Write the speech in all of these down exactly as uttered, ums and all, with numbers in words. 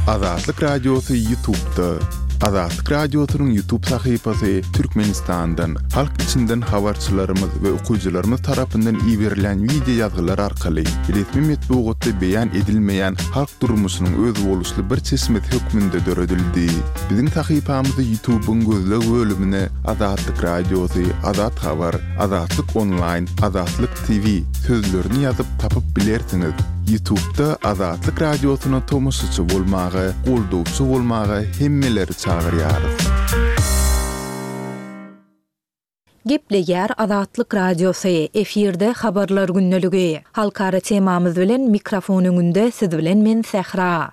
Azatlyk Radiosy YouTube'da. Azatlyk Radiosynyň YouTube sahypasy Türkmenistandan, halk içinden habarçylarymyz we okyjylarymyz tarapyndan iberilen wideo ýazgylar arkaly resmi metbugatda beýan edilmeýän halk durmuşynyň özboluşly bir çeşmesi hökmünde döredildi. Biziň sahypamyzy YouTube'yň gözleg bölümine Azatlyk Radiosy, Azat Habar, Azatlyk Online, Azatlyk T V sözlerini ýazyp tapyp bilersiňiz. YouTube'da Azatlyk Radiosyna tomaşaçy bolmaga, goldawçy bolmaga hemmeleri çagyrýarys. Gepleýär Azatlyk Radiosy, efirde habarlar gündeligi. Halkara temamyz bilen mikrofon öňünde siz bilen men Sähra.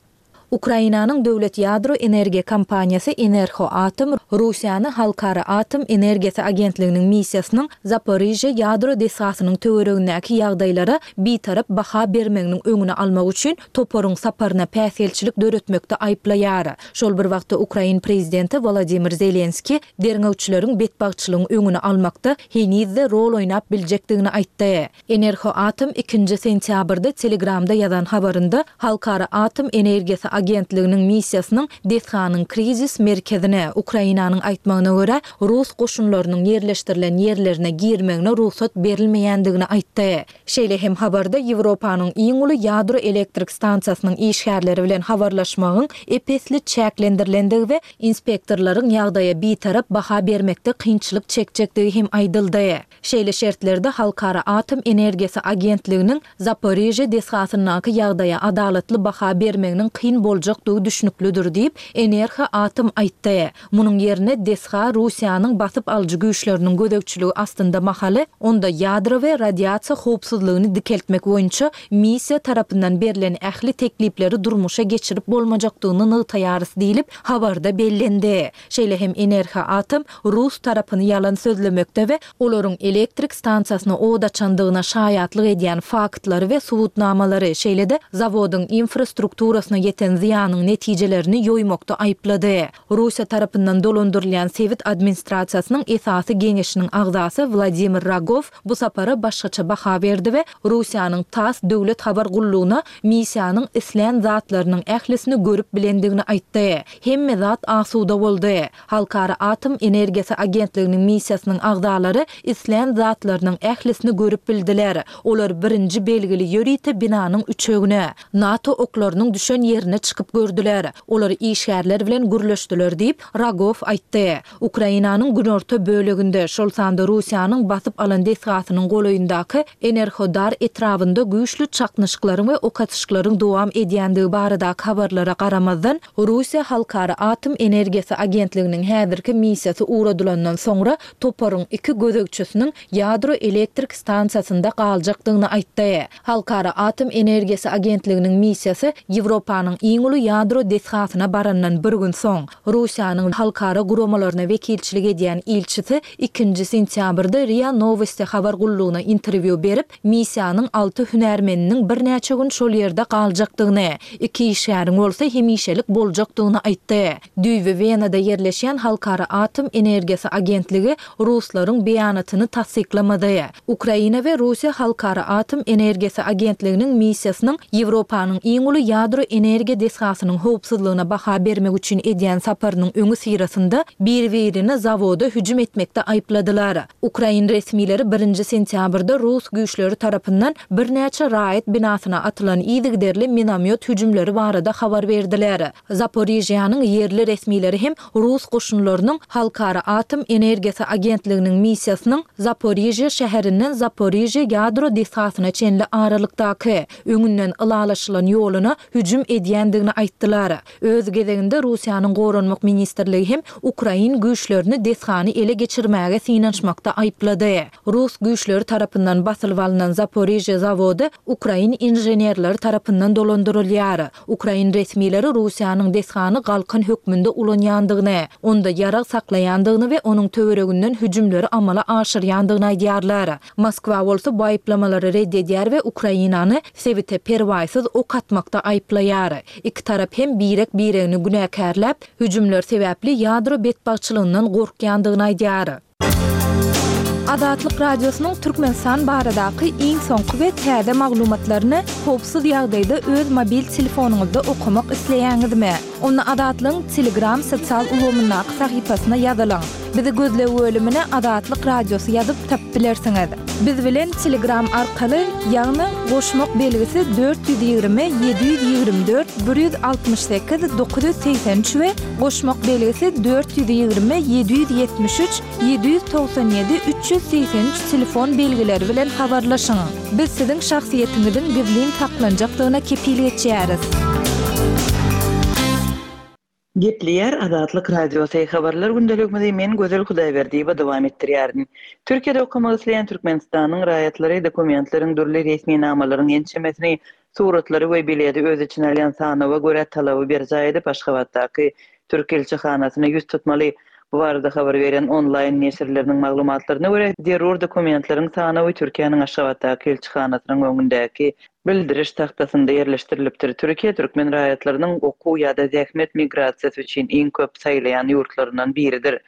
Ukrainanyň döwlet ýadro energiýa kompaniýasy Enerhoatom Russiýany Halkara Atom Energiýasy Agentliginiň missiýasynyň Zaporižýa ýadro desgasynyň töweregindäki ýagdaýlara bitarap baha bermeginiň öňüni almak üçin toparyň saparyna päsgelçilik döretmekde aýyplaýar. Şol bir wagtda Ukrain prezidenti Wladimir Zelenski derňewçileriň betbagtçylygyň öňüni almakda henizde rol oýnap biljekdigini aýtdy. Enerhoatom ikinji sentýabrda Telegramda ýazan habarynda Halkara Atom Energiýasy Agentliginiň missiýasynyň desganyň krizis merkezine Ukrainanyň aýtmagyna görä Rus goşunlarynyň ýerleşdirilen ýerlerine girmegine rugsat berilmeýändigini aýtdy. Şeýle hem habarda Ýewropanyň iň uly ýadro elektrik stansiýasynyň işgärleri bilen habarlaşmagyň epesli çäklendirilendigi we inspektorlaryň ýagdaýa bitarap baha bermekde kynçylyk çekjekdigi hem aýdyldy. Şeýle şertlerde Halkara Atom Energiýasy Agentliginiň Zaporižýa desgasyndaky ýagdaýa adalatly baha bermeginiň kyn boljakdygy düşnüklidir diýip, Enerhoatom aýtdy. Munuň ýerine desga Russiýanyň basyp alyjy güýçleriniň gözegçiligi astynda mahaly, onda ýadro we radiasiýa howpsuzlygyny dikeltmek boýunça missiýa tarapyndan berlen ähli teklipleri durmuşa geçirip bolmajakdygyny nygtaýarys diýlip habarda bellendi. Şeýle hem Enerhoatom Rus tarapyny ýalan sözlemekde we olaryň elektrik stansiýasyna od açandygyna şaýatlyk edýän faktlary we subutnamalary, şeýle-de zawodyň infrastrukturasyna ýeten zyýanyň netijelerini ýoýmakda aýyplady. Russiýa tarapyndan dolandyrylýan sebit administrasiýasynyň esasy geňeşiniň agzasy Wladimir Rogow bu sapara başgaça baha berdi we Russiýanyň TASS döwlet habar gullugyna missiýanyň islän zatlarynyň ählisini görüp bilendigini aýtdy. Hemme zat asuda boldy. Halkara Atom Energiýasy Agentliginiň missiýasynyň agzalary islän zatlarynyň ählisini görüp bildiler. Olar birinji belgili ýörite binanyň üçegine, NATO oklarynyň düşen ýerine çykyp gördüler. Olar işgärler bilen gürleşdiler diýip Rogow aýtdy. Ukrainanyň günorta böleginde, şol sanda Russiýanyň basyp alan desgasynyň golaýyndaky Enerhodar etrabynda güýçli çaknyşyklaryň we ok atyşyklaryň dowam edýändigi baradaky habarlara garamazdan, Russiýa Halkara Atom Energiýasy Agentliginiň häzirki missiýasy ugradylandan soňra toparyň iki gözegçisiniň ýadro elektrik stansiýasynda galjakdygyny aýtdy. Halkara Atom Energiýasy Agentliginiň missiýasy Ýewropanyň iň uly ýadro desgasyna barandan bir gün soň, Russiýanyň halkara guramalaryna wekilçilik edýän ilçisi ikinji sentýabrda RIA Novosti habar gullugyna interwýu berip, missiýanyň alty hünärmeniniň birnäçe gün şol ýerde galjakdygyny, iki işgäriň bolsa hemişelik boljakdygyny aýtdy. Düýbi Wenada ýerleşýän Halkara Atom Energiýasy Agentligi Ruslaryň beýanatyny tassyklamady. Ukraina we Russiýa Halkara Atom Energiýasy Agentliginiň missiýasynyň Ýewropanyň iň uly ýadro energiýa desgasynyň howpsuzlygyna baha bermek üçin edýän saparynyň öňi syrasynda bir-birini zawoda hüjüm etmekde aýypladylar. Ukrain resmileri birinji sentýabrda Rus güýçleri tarapyndan birnäçe raýat binasyna atylan yzygiderli minomyot hüjümleri barada habar berdiler. Zaporižýanyň ýerli resmileri hem Rus goşunlarynyň Halkara Atom Energiýasy Agentliginiň missiýasynyň Zaporižýa şäherinden Zaporižýa ýadro desgasyna çenli aralykdaky öňünden ylalaşylan ýoluna hüjüm edýändigini aýtdylar. Öz gezeginde Russiýanyň Goranmak Ministrligi hem Ukrain güýçlerini desgany ele geçirmäge synanyşmakda aýyplady. Rus güýçleri tarapyndan basylyp alynan Zaporižýa zawody Ukrain inženerleri tarapyndan dolandyrylýar. Ukrain resmileri Russiýanyň desgany galkan hökmünde ulanýandygyny, onda ýarag saklaýandygyny we onuň töwereginden hüjümleri amala aşyrýandygyny aýdýarlar. Moskwa bolsa bu aýyplamalary red edýär we Ukrainany sebite perwaýsyz ok atmakda aýyplaýar. Iki tarap hem birek-biregini günäkärläp, hüjümler sebäpli ýadro betbagtçylygyndan gorkýandygyny aýdýar. Azatlyk Radiosynyň Türkmenistan baradaky iň soňky we täze maglumatlaryny howpsuz ýagdaýda öz mobil telefonyňyzda okamak isleýäňizmi? Onda Azatlygyň Telegram sosial ulgamyndaky sahypasyna ýazylyň. Bizi gözleg bölümine Azatlyk Radiosy ýazyp tapyp bilersiňiz. Biz bilen Telegram arkaly, ýagny goşmak belgisi dört ýüz ýigrimi ýedi ýüz ýigrimi dört bir ýüz altmyş sekiz dokuz ýüz segsen üç we goşmak belgisi dört ýüz ýigrimi ýedi ýüz ýetmiş üç ýedi ýüz togsan ýedi üç ýüz segsen üç telefon belgileri bilen habarlaşyň. Biz siziň şahsyýetiňiziň gizlin saklanjakdygyna kepil geçýäris. Gepleýär Azatlyk Radiosy habarlar gündeligimizi men Gözel Hudaýberdiýewa dowam etdirýärin. Türkiýede okamak isleýän Türkmenistanyň raýatlary dokumentleriň dürli resminamalaryň ençemesini, suratlary we bileti öz içine alýan sanawa görä talaby berjaý edip Aşgabatdaky Türk ilçihanasyna ýüz tutmaly. Bu barada habar berýän onlaýn neşirleriniň maglumatlaryna görä, zerur dokumentleriň sanawy Türkiýäniň Aşgabatdaky ilçihanasynyň öňündäki bildiriş tagtasynda ýerleşdirilipdir. Türkiýe türkmen raýatlarynyň okuw ýa-da zähmet migrasiýasy üçin iň köp saýlaýan ýurtlaryndan biridir.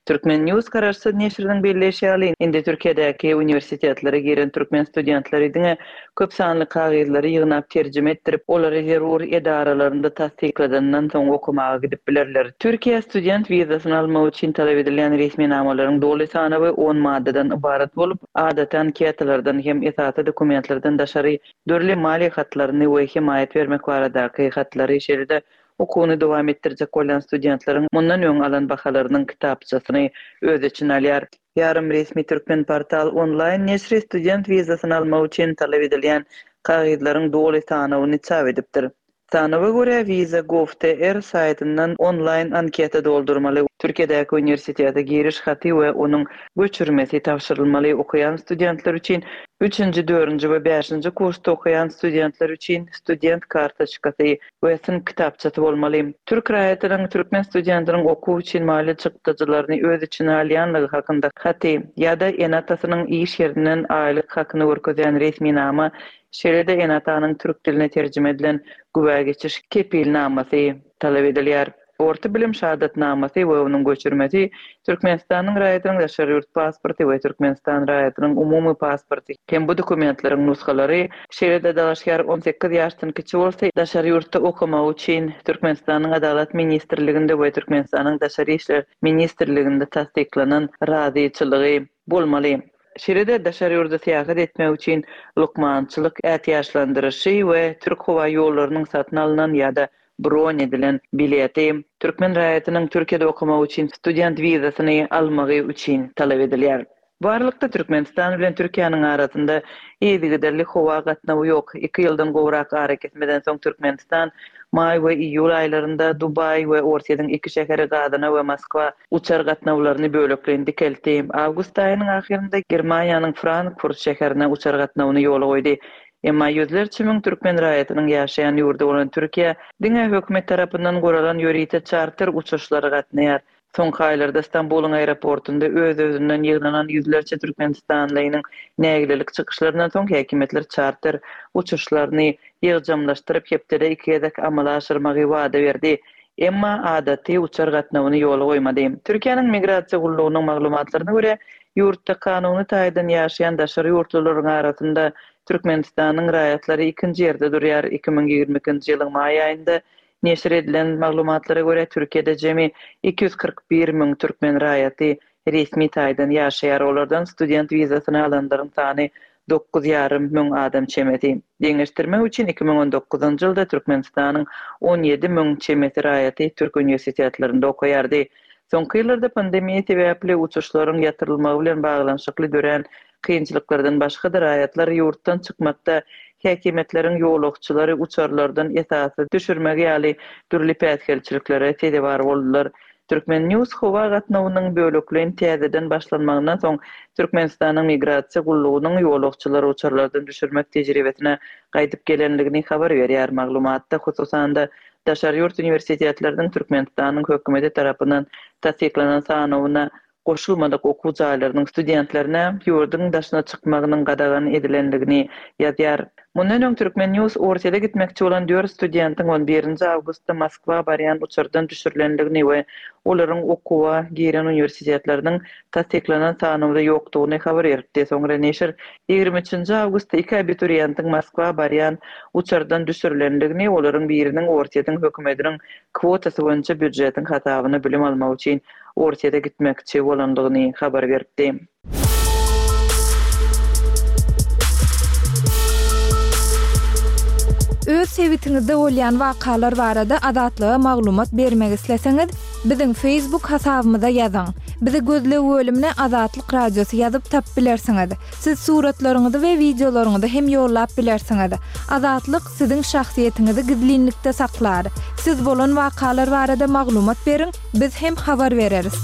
Turkmen News garaşsyz neşiriniň belleýşi ýaly, indi Türkiýedäki uniwersitetlere giren türkmen studentleri diňe köp sanly kagyzlary ýygnap terjime etdirip, olary zerur edaralarynda tassykladandan soň okamaga gidip bilerler. Türkiýe student wizasyny almak üçin talap edilýän resminamalaryň doly sanawy on maddadan ybarat bolup, adaty anketalardan hem esasy dokumentlerden daşary dürli maliýe hatlaryny we hemaýat bermek baradaky hatlary, şeýle-de okuwyny dowam etdirjek bolýan studentleriň mundan öň alan bahalarynyň kitapçasyny öz içine alýar. Ýarym resmi Türkmen portal onlaýn neşiri student wizasyny almak üçin talap edilýän kagyzlaryň doly sanawyny çap edipdir. Sanawa görä Visa gov nokta tr saýtyndan onlaýn anketa doldurmaly, Türkiýedäki uniwersitete giriş haty we onuň göçürmesi tabşyrylmaly, okaýan studentler üçin üçünji, dördünji we bäşinji kursda okaýan studentler üçin student kartoçkasy we synp kitapçasy bolmaly. Türk raýatynyň türkmen studentiniň okuw üçin maliýe çykdajylaryny öz içine alýanlygy hakynda haty ýa-da ene-atasynyň iş ýerinden aýlyk hakyny görkezýän resminama, şeýle-de ene-atanyň türk diline terjime edilen güwä geçiş kepilnamasy talap edilýär. Orta bilim şahadatnamasy we onuň göçürmesi, Türkmenistanyň raýatynyň daşary ýurt pasporty we Türkmenistan raýatynyň umumy pasporty hem bu dokumentleriň nusgalary, şeýle-de dalaşgär on sekiz ýaşdan kiçi bolsa, daşary ýurtda okamagy üçin Türkmenistanyň Adalat ministrliginde we Türkmenistanyň Daşary işler ministrliginde tassyklanan razyçylygy bolmaly. Şeýle-de daşary ýurda syýahat etmek üçin lukmançylyk ätiýaçlandyryşy we Türk howa ýollarynyň satyn alynan ýa-da bron edilen bileti türkmen raýatynyň Türkiýede okamak üçin student wizasyny almagy üçin talap edilýär. Bu aralykda Türkmenistan bilen Türkiýäniň arasynda yzygiderli howa gatnawy ýok. Iki ýyldan gowrak arakesmeden soň Türkmenistan maý we iýul aýlarynda Dubaý we Orsýetiň iki şäheri Gazana we Moskwa uçar gatnawlaryny bölekleýin dikeltdi. Awgust aýynyň ahyrynda Germaniýanyň Frankfurt şäherine uçar gatnawyny ýola goýdy. Emma ýüzlerçe müň türkmen raýatynyň ýaşaýan ýurdy bolan Türkiýe diňe hökümet tarapyndan guralan ýörite çarter uçuşlary gatnaýar. Soňky aýlarda Stambulyň aeroportunda öz-özünden ýygnanan ýüzlerçe türkmenistanlynyň nägilelik çykyşlaryndan soň häkimiýetler çarter uçuşlaryny ýygjamlaşdyryp hepdede iki gezek amala aşyrmagy wada berdi. Emma adaty uçar gatnawyny ýola goýmady. Türkiýäniň migrasiýa gullugynyň maglumatlaryna görä, ýurtda kanuny taýdan ýaşaýan daşary ýurtlularyň arasynda Türkmenistanyň raýatlary ikinji ýerde durýar. Iki müň ýigrimi ikinji ýylyň maý aýynda neşir edilen maglumatlara görä, Türkiýede jemi iki ýüz kyrk bir müň türkmen raýaty resmi taýdan ýaşaýar. Olardan student wizasyny alanlaryň sany dokuz ýarym müň adam çemesi. Deňeşdirmek üçin iki müň on dokuzynjy ýylda Türkmenistanyň on ýedi müň çemesi raýaty türk uniwersitetlerinde okaýardy. Soňky ýyllarda pandemiýa sebäpli uçuşlaryň ýatyrylmagy bilen baglanyşykly dörän kynçylyklardan başga-da raýatlar ýurtdan çykmakda häkimiýetleriň ýolagçylary uçarlardan esasy düşürmegi ýaly dürli päsgelçiliklere sezewar boldular. Turkmen News howa gatnawynyň bölekleýin täzeden başlanmagyndan soň Türkmenistanyň migrasiýa gullugynyň ýolagçylary uçarlardan düşürmek tejribesine gaýdyp gelenligini habar berýär. Maglumatda hususan-da daşary ýurt uniwersitetleriniň Türkmenistanyň hökümeti tarapyndan tassyklanan sanawyna goşulmadyk okuw jaýlarynyň studentlerine ýurduň daşyna çykmagynyň gadagan edilenligini ýazýar. Mundan öň Turkmen. News Orsýete gitmekçi bolan dört studentiň on birinji awgustda Moskwa barýan uçardan düşürilendigini we olaryň okuwa giren uniwersitetleriniň tassyklanan sanawda ýokdugyny habar beripdi. Soňra neşir ýigrimi üçünji awgustda iki abituriýentiň Moskwa barýan uçardan düşürilendigini, olaryň biriniň Orsýetiň hökümetiniň kwotasy boýunça býujetiň hasabyna bilim almak üçin Orsýete gitmekçi bolandygyny habar beripdi. Öz sebitiňizde bolýan wakalar barada Azatlyga maglumat bermek isleseňiz, biziň Facebook hasabymyza ýazyň. Bizi gözleg bölümine Azatlyk Radiosy ýazyp tapyp bilersiňiz. Siz suratlaryňyzy we wideolaryňyzy hem ýollap bilersiňiz. Azatlyk siziň şahsyýetiňizi gizlinlikde saklar. Siz bolan wakalar barada maglumat beriň, biz hem habar bereris.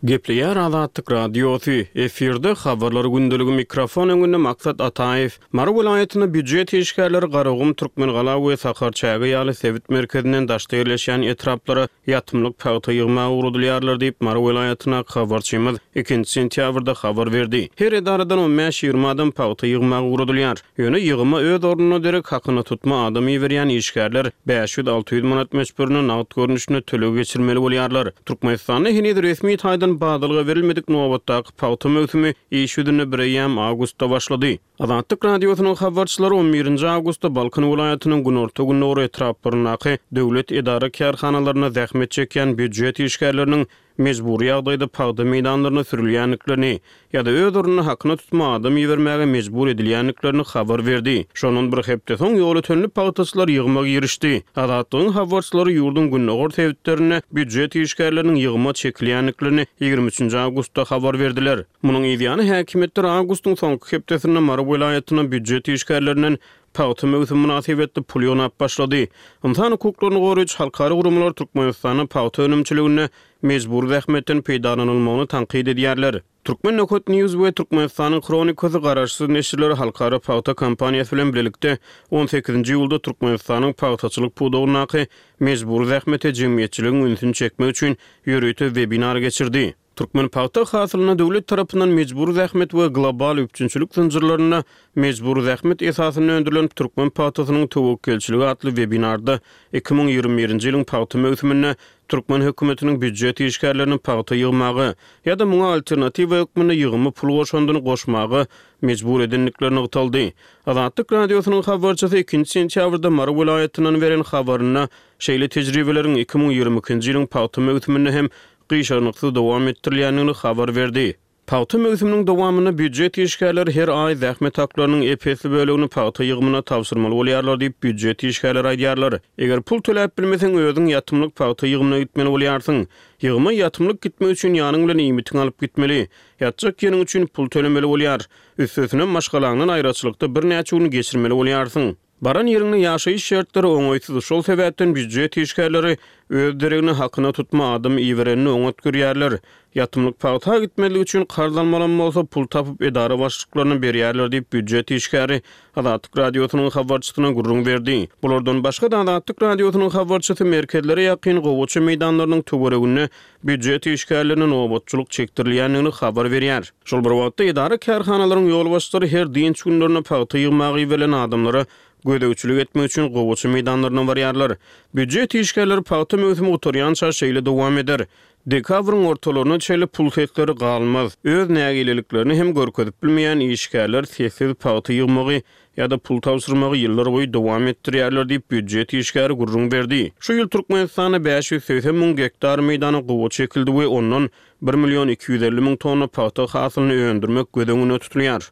Gepleýär Azatlyk Radiosy, efirde habarlar gündeligi mikrofon öňünde Maksat Ataýew. Mary welaýatynda býujet işgärleri Garagum, Türkmengala we Sakarçäge ýaly sebit merkezinden daşda ýerleşýän etraplara ýatymlyk pagta ýygmaga ugradylýarlar diýip, Mary welaýatyndaky habarçymyz ikinji sentýabrda habar berdi. Her edaradan on bäş-ýigrimi adam pagta ýygmaga ugradylýar. Ýöne ýygyma öz ornuna derek hakyna tutma adam iberýän işgärler bäş ýüz-alty ýüz manat möçberinde nagt görnüşinde töleg geçirmeli bolýarlar. Türkmenistanda heniz resmi taýdan badalga berilmedik nobatdaky pagta möwsümi iş ýüzünde bir eýýäm awgustda başlady. Azatlyk Radiosynyň habarçylary on birinji awgustda Balkan welaýatynyň günorta-gündogar etraplaryndaky döwlet edara kärhanalarynda zähmet çekýän býujet işgärleriniň mejbury ýagdaýda pagta meýdanlaryna sürülýändiklerini ýa-da öz ornuna hakyna tutma adam ibermäge mejbur edilýändiklerini habar berdi. Şondan bir hepde soň ýol ötenli pagtaçylar ýygyma girişdi. Azatlygyň habarçylary ýurduň gündogar sebitlerinde býujet işgärleriniň ýygyma çekilýändiklerini ýigrimi üçünji awgustda habar berdiler. Munuň ýany häkimiýetler awgustyň soňky hepdesinde Mary welaýatyna býujet işgärlerinden pagta möwsümi mynasybetli pul ýygnap başlady. Ynsan hukuklaryny goraýjy halkara guramalar Türkmenistanda pagta önümçiliginde mejbur zähmetden peýdalanylmagyny tankyt edýärler. Türkmen Nökot News we Türkmenistanyň Hronikasy garaşsyz neşirleri halkara pagta kompaniýasy bilen birlikde on sekizinji iýulda Türkmenistanyň pagtaçylyk pudagyndaky mejbur zähmete jemgyýetçiligiň ünsüni çekmek üçin ýörite webinar geçirdi. Türkmen pagta hasylyna döwlet tarapyndan mejbur zähmet we global üpjünçilik zynjyrlarynda mejbur zähmet esasynda öndürilen Türkmen pagtasynyň töwekgelçiligi atly webinarda iki müň ýigrimi birinji ýylyň pagta möwsüminde Türkmen hökümetiniň býujet işgärlerini pagta ýygmaga ýa-da muňa alternatiwa hökmünde ýygymy pul goşandyny goşmaga mejbur edendikleri nygtaldy. Azatlyk Radiosynyň habarçysy ikinji sentýabrda Mary welaýatyndan beren habarynda şeýle tejribeleriň iki müň ýigrimi ikinji ýylyň pagta möwsüminde hem gyşarnyksyz dowam etdirilýändigini habar berdi. Pagta möwsüminiň dowamynda býujet işgärleri her aý zähmet haklarynyň ep-esli bölegini pagta ýygymyna tabşyrmaly bolýarlar diýip býujet işgärleri aýdýarlar. Eger pul töläp bilmeseň özüň ýatymlyk pagta ýygymyna gitmeli bolýarsyň. Ýygyma ýatymlyk gitmek üçin ýanyň bilen iýmitiňi alyp gitmeli. Ýatjak ýeriň üçin pul tölemeli bolýar. Üstesine maşgalaňdan aýraçylykda birnäçe gün geçirmeli bolýarsyň. Baran ýeriňde ýaşaýyş şertleri oňaýsyz, şol sebäpden býujet işgärleri öz deregine hakyna tutma adam iberenini oňat görýärler. Ýatymlyk pagta gitmezlik üçin karz almalam bolsa pul tapyp edara başlyklaryna berýärler diýip býujet işgäri Azatlyk Radiosynyň habarçysyna gürrüň berdi. Bulardan başga da Azatlyk Radiosynyň habarçysy merkezlere ýakyn gowaça meýdanlarynyň töwereginde býujet işgärlerine nobatçylyk çekdirilýändigini habar berýär. Şol bir wagtda edara kärhanalaryň ýolbaşçylary her dynç günlerinde pagta ýygmaga iberilen adamlara gözegçilik etmek üçin gowaça meýdanlaryna barýarlar. Býujet işgärleri pagta möwsümi gutarýança şeýle dowam eder. Dekabryň ortalaryna çenli pul sesleri galmaz. Öz nägileliklerini hem görkezip bilmeýän işgärler sessiz pagta ýygmagy ýa-da pul tabşyrmagy ýyllar boýy dowam etdirýärler diýip býujet işgäri gürrüň berdi. Şu ýyl Türkmenistanda bäş ýüz segsen müň gektar meýdana gowaça ekildi we ondan bir million iki ýüz elli müň tonna pagta hasylyny öndürmek göz öňünde tutulýar.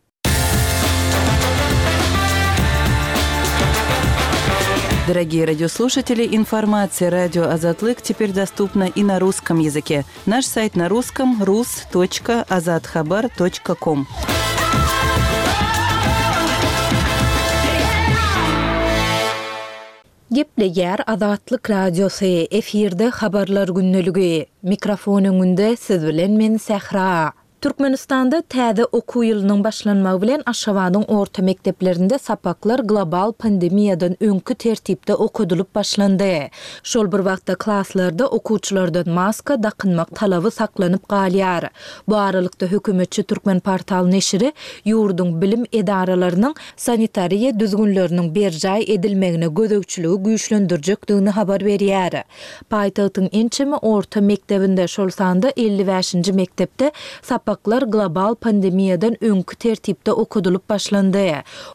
Дорогие радиослушатели, информация радио Азатлык теперь доступна и на русском языке. Наш сайт на русском рус точка азатхабар точка ком. Gepleýär Azatlyk Radiosy, efirde habarlar gündeligi. Mikrofon öňünde siz bilen men Sähra. Türkmenistanda täze okuw ýylynyň başlanmagy bilen Aşgabadyň orta mekdeplerinde sapaklar global pandemiýadan öňki tertipde okadylyp başlandy. Şol bir wagtda klaslarda okuwçylardan maska dakynmak talaby saklanyp galýar. Bu aralykda hökümetçi Türkmenportal neşiri ýurduň bilim edaralarynyň sanitariýa düzgünleriniň berjaý edilmegine gözegçiligi güýçlendirjekdigini habar berýär. Paýtagtyň ençeme orta mekdebinde, şol sanda elli bäşinji mekdepde sapaklar global pandemiýadan öňki tertipde okadylyp başlandy.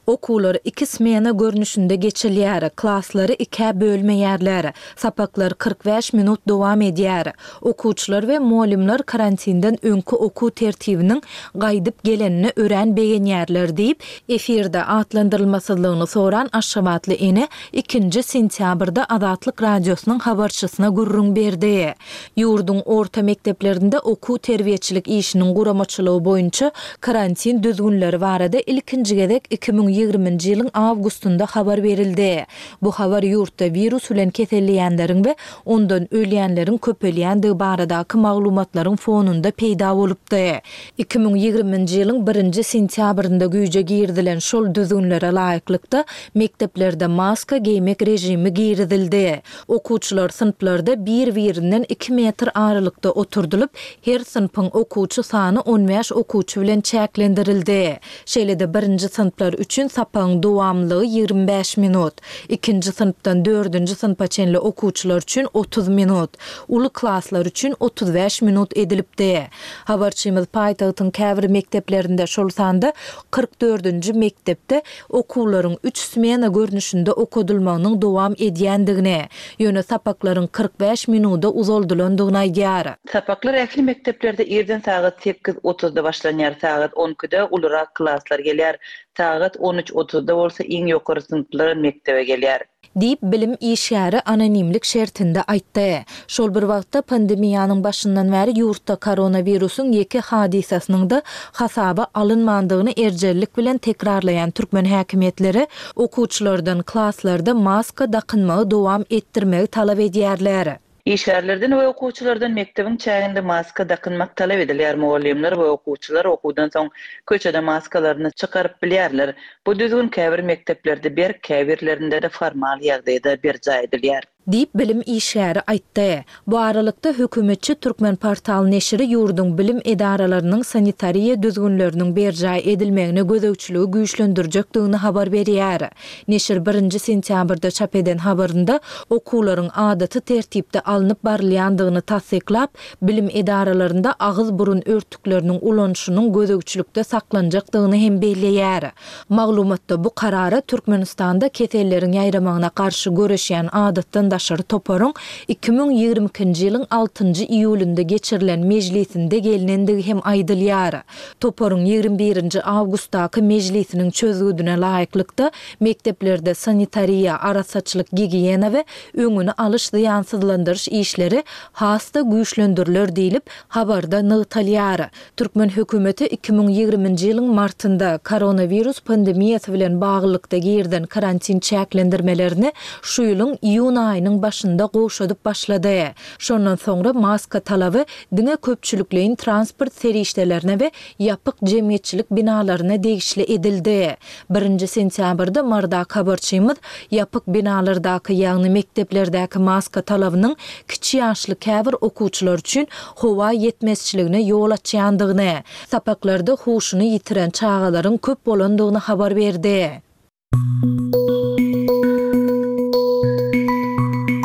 Okuwlar iki smena görnüşinde geçilýär, klaslary ikä bölmeýärler. Sapaklar kyrk bäş minut dowam edýär. Okuwçylar we mugallymlar karantinden öňki okuw tertibiniň gaýdyp gelenine örän begenýärler diýip, efirde atlandyrylmasyzlygyny soran aşgabatly ene ikinji sentýabrda Azatlyk Radiosynyň habarçysyna gürrüň berdi. Ýurduň orta mekdeplerinde okuw-terbiýeçilik işiniň guramaçylygy boýunça karantin düzgünleri barada ilkinji gezek iki müň ýigriminji ýylyň awgustynda habar berildi. Bu habar ýurtda wirus bilen keselleýänleriň we ondan ölýänleriň köpelýändigi baradaky maglumatlaryň fonunda peýda bolupdy. Iki müň ýigriminji ýylyň birinji sentýabrynda güýje girizilen şol düzgünlere laýyklykda, mekdeplerde maska geýmek režimi girizildi. Okuwçylar synplarda bir-birinden iki metr aralykda oturdylyp, her synpyň okuwçy sany on bäş okuwçy bilen çäklendirildi. Şeýle-de birinji synplar üçin sapagyň dowamlylygy ýigrimi bäş minut, ikinji synpdan dördünji synpa çenli okuwçylar üçin otuz minut, uly klaslar üçin otuz bäş minut edilipdi. Habarçymyz paýtagtyň käbir mekdeplerinde, şol sanda kyrk dördünji mekdepde okuwlaryň üç smena görnüşinde okadylmagynyň dowam edýändigini, ýöne sapaklaryň kyrk bäş minuda uzaldylandygyny aýdýar. Sapaklar ähli mekdeplerde irden sagat sekiz otuzda başlanýar, sagat on ikide ulurak klaslar gelýär, sagat on üç otuzda bolsa iň ýokary synplar mekdebe gelýär. Diýip, bilim işgäri anonimlik şertinde aýtdy. Şol bir wagtda pandemiýanyň başyndan bäri ýurtda koronawirusyň ýeke hadysasynyň-da hasaba alynmandygyny erjellik bilen tekrarlaýan türkmen häkimiýetleri okuwçylardan klaslarda maska dakynmagy dowam etdirmegi talap edýärler. Işgärlerden we okuwçylardan mekdebiň çäginde maska dakynmak talap edilýär. Mugallymlar we okuwçylar okuwdan soň köçede maskalaryny çykaryp bilýärler. Bu düzgün käbir mekdeplerde berk, käbirlerinde-de formal ýagdaýda berjaý edilýär. Diýip, bilim işgäri aýtdy. Bu aralykda hökümetçi Türkmenportal neşiri ýurduň bilim edaralarynyň sanitariýa düzgünleriniň berjaý edilmegine gözegçiligi güýçlendirjekdigini habar berýär. Neşir birinji sentýabrda çap eden habarynda okuwlaryň adaty tertipde alnyp barylýandygyny tassyklap, bilim edaralarynda agyz-burun örtükleriniň ulanyşynyň gözegçilikde saklanjakdygyny hem belleýär. Maglumatda bu karara Türkmenistanda keselleriň ýaýramagyna garşy göreşýän adatdan daşary toparyň iki müň ýigrimi ikinji ýylyň altynjy iýulynda geçirilen mejlisinde gelnendigi hem aýdylýar. Toparyň ýigrimi birinji awgustdaky mejlisiniň çözgüdine laýyklykda, mekdeplerde sanitariýa, arassaçylyk, gigiýena we öňüni alyş zyýansyzlandyryş işleri has-da güýçlendiriler diýlip, habarda nygtalýar. Türkmen hökümeti iki müň ýigriminji ýylyň martynda koronawirus pandemiýasy bilen baglylykda girizen karantin çäklendirmelerini şu ýylyň iýun aýynyň başynda gowşadyp başlady. Şondan soňra maska talaby diňe köpçülikleýin transport serişdelerine we ýapyk jemgyýetçilik binalaryna degişli edildi. Birinji sentýabrda Mardaky habarçymyz ýapyk binalardaky, ýagny mekdeplerdäki maska talabynyň kiçi ýaşly käbir okuwçylar üçin howa ýetmezçiligine ýol açýandygyny, sapaklarda huşuny ýitiren çagalaryň köp bolandygyny habar berdi.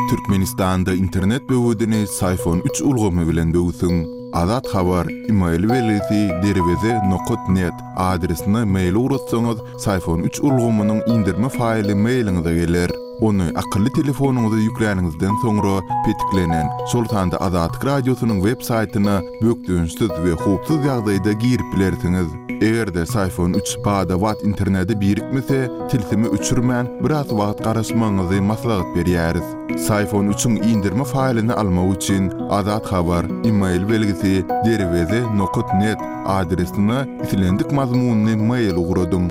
Türkmenistanda internet böwedini Syfon üç ulgamy bilen böwsüň. Azat Habar, email belgisi derweze nokat net adresine mail ugratsaňyz, Syfon üç ulgamynyň indirme faýly mailiňize geler. Ony akylly telefonyňyza ýükläniňizden soňra petiklenen, şol sanda Azatlyk Radiosynyň web saýtyna bökdençsiz we howpsuz ýagdaýda girip bilersiňiz. Eger-de Syfon üç bada-bat internete birikmese, tilsimi öçürmän biraz wagt garaşmagyňyzy maslahat berýäris. Syfon üçiň indirme faýlyny almak üçin Azat Habar, email belgisi derweze nokat net adresine islendik mazmunyny mail ugradyň.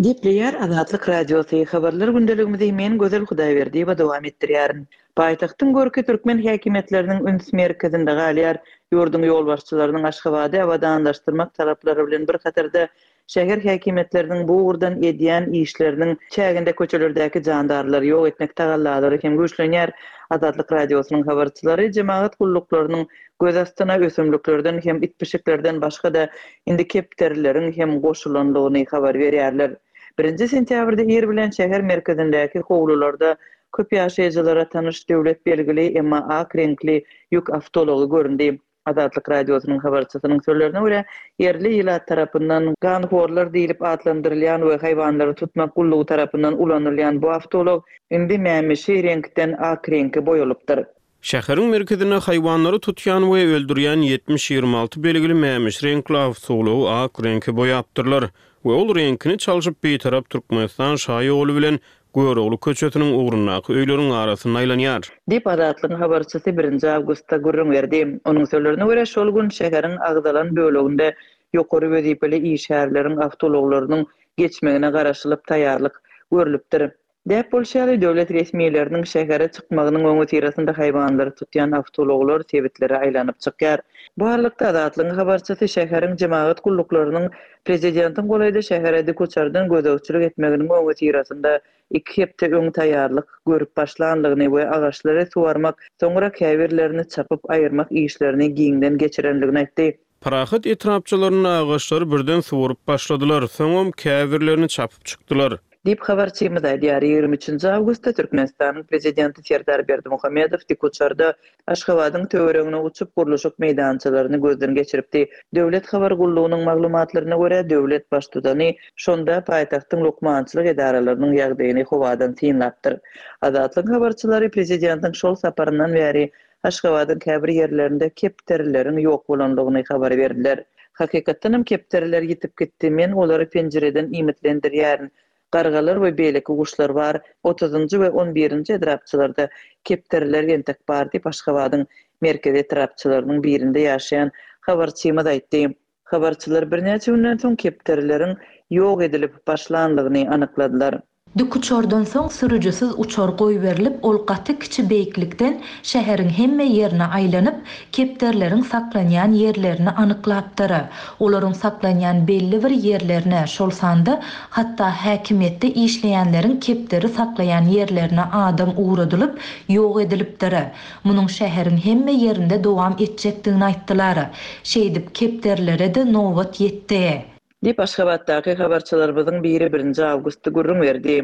Gepleýär Azatlyk Radiosy, habarlar gündeligimizi men Gözel Hudaýberdiýewa dowam etdirýärin. Paýtagtyň görki türkmen häkimiýetleriniň üns merkezinde galýar. Ýurduň ýolbaşçylarynyň Aşgabady abadanlaşdyrmak talaplary bilen bir hatarda, şäher häkimiýetleriniň bu ugurdan edýän işleriniň çäginde köçelerdäki jandarlary ýok etmek tagallalary hem güýçlenýär. Azatlyk Radiosynyň habarçylary jemagat gulluklarynyň göz astyna ösümliklerden hem it-pişiklerden başga-da indi kepderileriň hem goşulandygyny habar berýärler. Birinji sentýabrda ir bilen şäher merkezindäki howlularda köp ýaşaýjylara tanyş döwlet belgili, emma ak reňkli ýük awtoulagy göründi. Azatlyk Radiosynyň habarçysynyň sözlerine görä, ýerli ilat tarapyndan ganhorlar diýlip atlandyrylýan we haýwanlary tutmak gullugy tarapyndan ulanylýan bu awtoulag indi mämişi reňkden ak reňke boýalypdyr. Şäheriň merkezinde haýwanlary tutýan we öldürýän ýetmiş ýigrimi alty belgili mämişi reňkli awtoulagy ak reňke boýapdyrlar we ol reňkini çalşyp Bitarap Türkmenistan şaýoly bilen Görogly köçesiniň ugrundaky öýleriň arasynda aýlanýar. Diýip, Azatlygyň habarçysy birinji awgustda gürrüň berdi. Onuň sözlerine görä, şol gün şäheriň agzalan böleginde ýokary wezipeli işgärleriň awtoulaglarynyň geçmegine garaşylyp taýýarlyk görlüpdir. Däp bolşy ýaly, döwlet resmileriniň şähere çykmagynyň öňüsyrasynda haýwanlary tutýan awtoulaglar sebitlere aýlanyp çykýar. Bu aralykda, Azatlygyň habarçysy şäheriň jemagat gulluklarynyň prezidentiň golaýda şähere dikuçardan gözegçilik etmeginiň öňüsyrasynda iki hepde öň taýýarlyk görüp başlandygyny we agaçlary suwarmak, soňra käbirlerini çapyp aýyrmak işlerini giňden geçirendigini aýtdy. Parahat etrapçalarynda agaçlary birden suwaryp başladylar, soňam käbirlerini çapyp çykdylar. Diýip, habarçymyz aýdýar. Ýigrimi üçünji awgustda Türkmenistanyň Prezidenti Serdar Berdimuhamedow dikuçarda Aşgabadyň töweregine uçup, gurluşyk meýdançalaryny gözden geçiripdi. Döwlet habar gullugynyň maglumatlaryna görä, döwlet Baştutany şonda paýtagtyň lukmançylyk edaralarynyň ýagdaýyny howadan synlapdyr. Azatlygyň habarçylary prezidentiň şol saparyndan bäri Aşgabadyň käbir ýerlerinde kepderileriň ýok bolandygyny habar berdiler. Hakykatdanam kepderiler ýitip gitdi, men olary penjireden iýmitlendirýärin. Gargalar we beýleki guşlar bar, otuzynjy we on birinji etrapçalarda kepderiler entek bar diýip, Aşgabadyň merkezi etrapçalarynyň birinde ýaşaýan habarçymyz aýtdy. Habarçylar birnäçe günden soň kepderileriň ýok edilip başlandygyny anykladylar. Dikuçardan soň sürüjisiz uçar goýberilip, ol gaty kiçi beýiklikden şäheriň hemme ýerine aýlanyp, kepderileriň saklanýan ýerlerini anyklapdyr. Olaryň saklanýan belli bir ýerlerine, şol sanda hatda häkimiýetde işleýänleriň kepderi saklaýan ýerlerine adam ugradylyp, ýok edilipdir. Munuň şäheriň hemme ýerinde dowam etjekdigini aýtdylar. Şeýdip, kepderilere-de nobat ýetdi. Diýip, Aşgabatdaky habarçylarymyzyň biri birinji awgustda gürrüň berdi.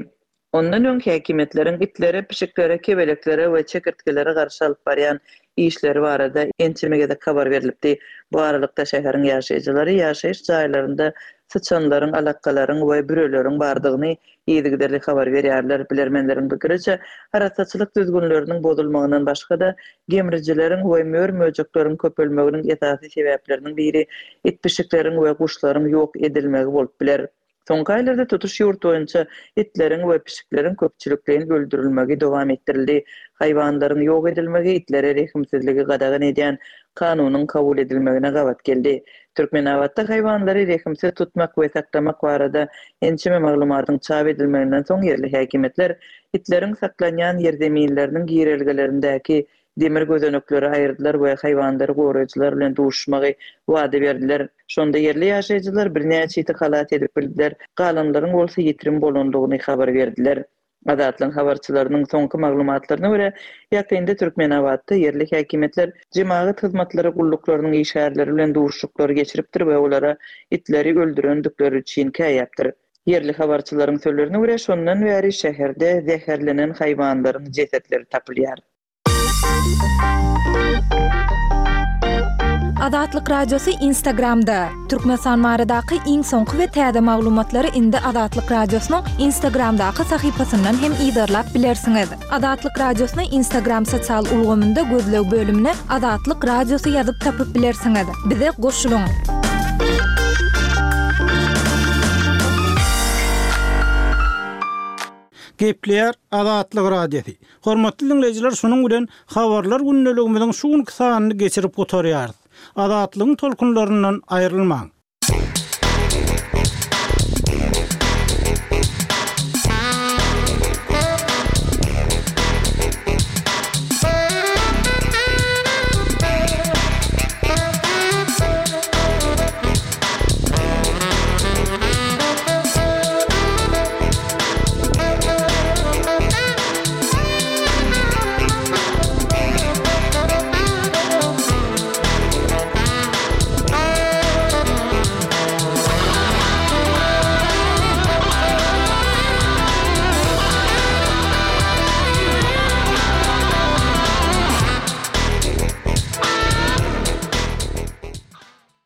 Ondan öň häkimiýetleriň itlere, pişiklere, kebeleklere we çekirtgelere garşy alyp barýan işleri barada ençeme gezek habar berlipdi. Bu aralykda, şäheriň ýaşaýjylary ýaşaýyş jaýlarynda syçanlaryň, alakgalaryň we büreleriň bardygyny yzygiderli habar berýärler. Bilermenleriň pikiriçe, arassaçylyk düzgünleriniň bozulmagyndan başga-da, gemrijileriň we mör-möjekleriň köpelmeginiň esasy sebäpleriniň biri it-pişikleriň we guşlaryň ýok edilmegi bolup biler. Soňky aýlarda tutuş ýurt boýunça itleriň we pişikleriň köpçülikleýin öldürilmegi dowam etdirildi. Haýwanlaryň ýok edilmegi itlere rehimsizligi gadagan edýän kanunyň kabul edilmegine gabat geldi. Türkmenabatda haýwanlary rehimsiz tutmak we saklamak barada ençeme maglumatyň çap edilmeginden soň ýerli häkimiýetler itleriň saklanýan ýerzeminleriniň girelgelerindäki demir gözenekleri aýyrdylar we haýwanlary goraýjylar bilen duşuşmagy wada berdiler. Şonda ýerli ýaşaýjylar birnäçe iti halas edip bildiler, galanlaryň bolsa ýitirim bolandygyny habar berdiler. Azatlygyň habarçylarynyň soňky maglumatlaryna görä, ýakynda Türkmenabatda ýerli häkimiýetler jemagat hyzmatlary gulluklarynyň işgärleri bilen duşuşyklary geçiripdir we olara itleri öldürendikleri üçin käýäpdir. Ýerli habarçylaryň sözlerine görä, şondan bäri şäherde zäherlenen haýwanlaryň jesetleri tapylýar. Azatlyk Radiosy Instagramda. Türkmenistan baradaky iň soňky we täze maglumatlary indi Azatlyk Radiosynyň Instagramdaky sahypasyndan hem yzarlap bilersiňiz. Azatlyk Radiosyny Instagram sosial ulgamynda gözleg bölümine Azatlyk Radiosy ýazyp tapyp bilersiňiz. Bize goşulyň. Gepleýär Azatlyk Radiosy. Hormatly dinleýjiler, şunuň bilen habarlar gündeligimiziň şu günki sanyny geçirip gutarýarys. Azatlygyň tolkunlaryndan aýrylmaň.